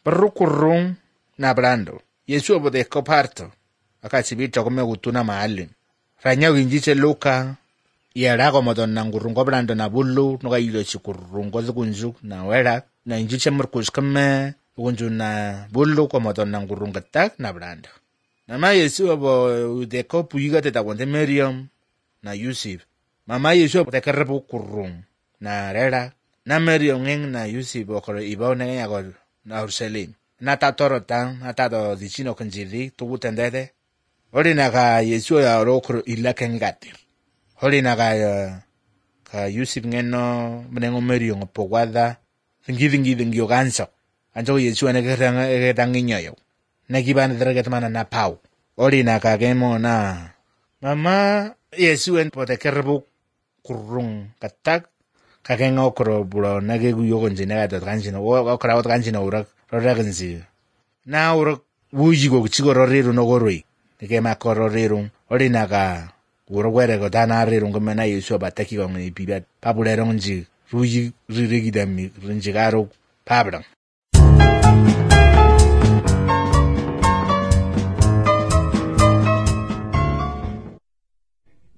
Rukurung na brando. Yesu obode koparto. Akachibito kome utuna mahali. Ranya winjiche Luka. Yera komodon na ngurungo brando na bulu. Nuka ilo chikurungo zikunju na wera. Na injiche murkus kame. Kunju na bulu komodon na ngurungo tak na brando. Nama Yesu obo udeko puyiga teta wante Miriam na Yusuf. Mama Yesu obo tekerebu kurung na rera. Na Miriam ngeng na Yusuf okoro ibaw na ngayagol na Urselim. Na tatoro tang, na tato dichino kanjiri, tubu tendete. Hori na ka Yesu ya okoro ila kengati. Hori na ka Yusuf ngeno mnengo Miriam opogwada. Vingi oganso. Anjo Yesu aneketang inyoyo. Nakiban dragetmana na pau. Hori na ka gemo na. Mama Yesu en potekerbu kurung katak. Kakenga okoro bulo nagegu yogonje nagato kanjino okora ot kanjino urak roragenzi na urak wujigo chigo roriru no goroi ke makoro riru orinaga urogwere go dana riru ngomena Yesu bataki go ngi bibat papulero nji ruji ririgidami rinjigaro pabrang